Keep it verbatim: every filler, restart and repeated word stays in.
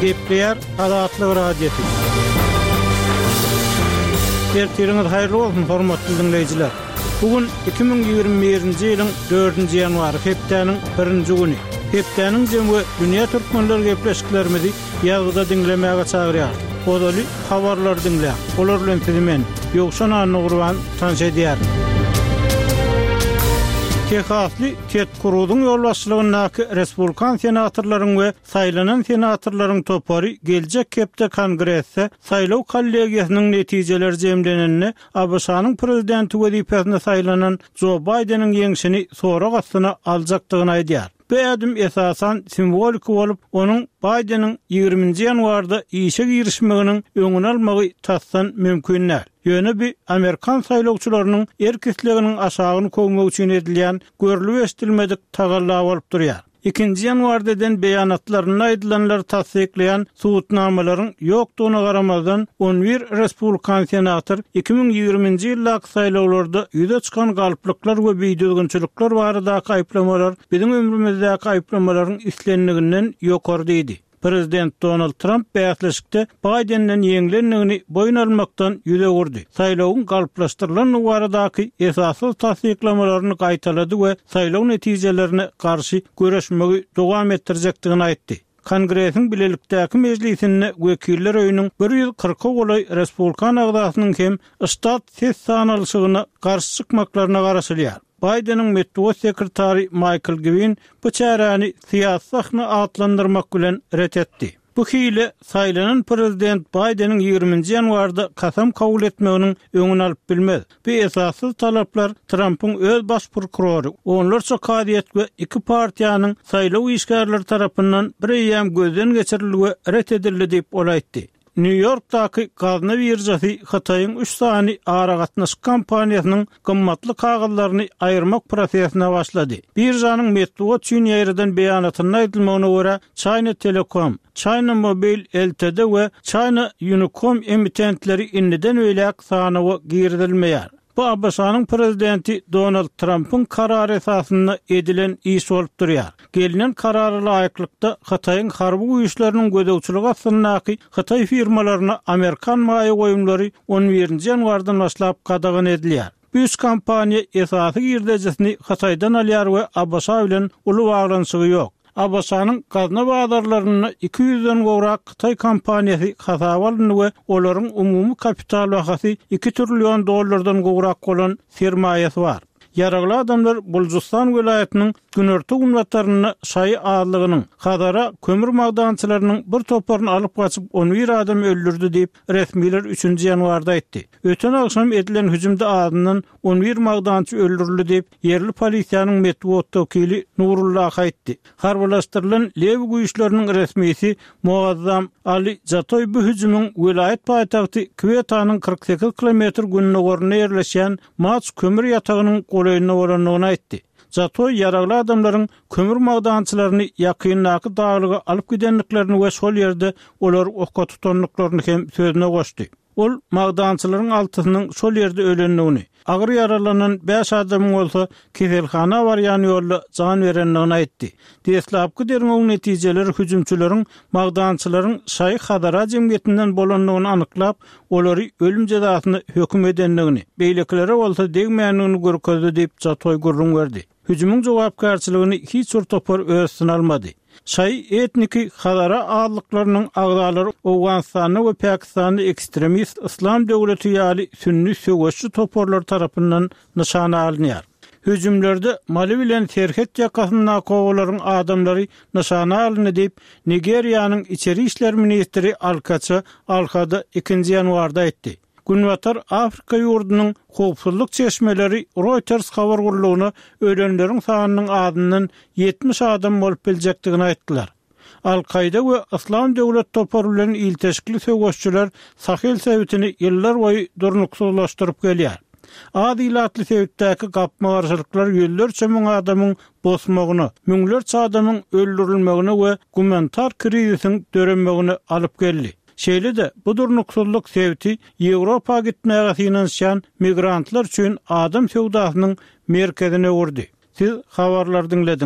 Gepleýär Azatlyk Radiosy. Ertiriňiz haýyrly bolsun, hormatly diňleýjiler. Bu gün iki müň ýigrimi birinji ýylyň dördünji ýanwary, hepdäniň birinji güni. Hepdäniň jemi we dünýä türkmenleri gepleşiklerimizi ýazgyda diňlemäge çagyrýarys. Ozaly habarlary diňläň. Olar bilen sizi men, Ýowşan Annagurban, tanyş edýärin. Tehasly Ted Kruzyň ýolbaşçylygyndaky respublikan senatorlaryň we saýlanan senatorlaryň topary geljek hepde Kongresde saýlaw kollegiýasynyň netijeleri jemlenende ABŞ-nyň prezidenti wezipesine saýlanan Jo Baýdeniň ýeňşini sorag astyna aljakdygyny aýdýar. Bu ädim esasan simwoliki bolup, onuň Baýdeniň ýigriminji ýanwarda işe girişmeginiň öňüni almagy tasdan mümkin däl. Ýöne bu amerikan saýlawçylarynyň erk-isleginiň aşagyny kowmak üçin edilýän görlüp-eşidilmedik tagalla bolup durýar. Ikinji ýanwarda eden beýanatlarynda aýdylanlary tassyklaýan subutnamalaryň ýokdugyna garamazdan, on bir respublikan senator iki müň ýigriminji ýyldaky saýlawlarda ýüze çykan galplyklar we bidüzgünçilikler baradaky aýyplamalar biziň ömrümizdäki aýyplamalaryň islendiginden ýokary diýdi. Prezident Donald Tramp bäsleşikde Baýdenden ýeňlendigini boýun almakdan ýüz öwürdi. Saýlawyň galplaşdyrylandygy baradaky esassyz tassyklamalaryny gaýtalady we saýlaw netijelerine garşy göreşmegi dowam etdirjekdigini aýtdy. Kongresiň bilelikdäki mejlisinde Wekiller öýüniň bir ýüz kyrka golaý respublikan agzasynyň hem ştat ses sanalyşygyna garşy çykmaklaryna garaşylýar. Baýdeniň metbugat sekretary Maýkl Gwin bu çäräni syýasy sahna atlandyrmak bilen ret etdi. Bu hile saýlanan prezident Baýdeniň ýigriminji ýanwarda kasam kabul etmeginiň öňüni alyp bilmez. Bu esassyz talaplar Trampyň öz baş prokurory, onlarça kazyýet we iki partiýanyň saýlaw işgärleri tarapyndan bir eýýäm gözden geçirildi we ret edildi diýip ol aýtdy. Nýu-Ýorkdaky gazna biržasy Hytaýyň üç sany aragatnaşyk kompaniýasynyň gymmatly kagyzlaryny aýyrmak prosesine başlady. Biržanyň metbugat üçin ýaýradan beýanatynda aýdylmagyna görä, China Telecom, China Mobile Ltd we China Unicom emitentleri indiden beýläk sanawa girizilmeýär. Bu ABŞ-nyň prezidenti Donald Trampyň karary esasynda edilen iş bolup durýar. Gelnen karara laýyklykda, Hytaýyň harby güýçleriniň gözegçiligi astyndaky hytaý firmalaryna amerikan maýa goýumlary on birinji ýanwardan başlap gadagan edilýär. Bu üç kompaniýa esasy girdejisini Hytaýdan alýar we ABŞ bilen uly baglanyşygy ýok. ABŞ-nyň gazna bazarlarynda iki ýüzden gowrak hytaý kompaniýasy hasaba alyndy we olaryň umumy kapital bahasy iki trillion dollardan gowrak bolan sermaýasy bar. Ýaragly adamlar Buljustan welaýatynyň günorta-günbatarynda şaýy azlygynyň, Hazara kömür magdançylarynyň bir toparyny alyp gaçyp on bir adamy öldürdi diýip, resmiler üçünji ýanwarda aýtdy. Öten agşam edilen hüjümde azyndan on bir magdançy öldürildi diýip, ýerli polisiýanyň metbugat wekili Nurullah aýtdy. Harbylaşdyrylan Lewi güýçleriniň resmisi Muazzam Ali Jatoý bu hüjümiň welaýat paýtagty Kwetanyň kyrk sekiz kilometr gündogarynda ýerleşýän Maç kömür ýatagynyň golaýynda bolandygyny aýtdy. Jatoý ýaragly adamlaryň kömür magdançylaryny ýakyndaky daglyga alyp gidendiklerini we şol ýerde olary oka tutandyklaryny hem sözüne goşdy. Ol magdançylaryň altysynyň şol ýerde ölendigini, agyr ýaralanan bäş adamyň bolsa keselhana barýan ýolda jan berendigini aýtdy. Deslapky derňewiň netijeleri hüjümçileriň magdançylaryň Şaýy Hazara jemgyýetinden bolandygyny anyklap, olary ölüm jezasyna höküm edendigini, beýlekilere bolsa degmändigini görkezdi diýip, Jatoý gürrüň berdi. Hüjümiň jogapkärçiligini hiç bir topar öz üstüne almady. Şaýy etniki Hazara azlyklarynyň agzalary Owganystanda we Pakistanda ekstremist Yslam döwleti ýaly sünni söweşçi toparlar tarapyndan nyşana alynýar. Hüjümlerde Mali bilen serhet ýakasyndaky obalaryň adamlary nyşana alyndy diýip, Nigeriýanyň içeri işler ministri Alkaça Alhada ikinji ýanwarda aýtdy. Günbatar Afrika ýurdunyň howpsuzlyk çeşmeleri Reuters habar gullugyna ölenleriň sanynyň azyndan ýetmiş adam bolup biljekdigini aýtdylar. Al-Kaýda we Yslam döwlet topary bilen ilteşikli söweşçiler Sahel sebitini ýyllar boýy durnuksyzlaşdyryp gelýär. Az ilatly sebitdäki gapma-garşylyklar ýüzlerçe müň adamyň bosmagyna, müňlerçe adamyň öldürilmegine we gumanitar krizisiň döremegine alyp geldi. Şeýle-de, bu durnuksyzlyk sebiti Ýewropa gitmäge synanyşýan migrantlar üçin adam söwdasynyň merkezine öwürdi. Siz habarlary diňlediňiz.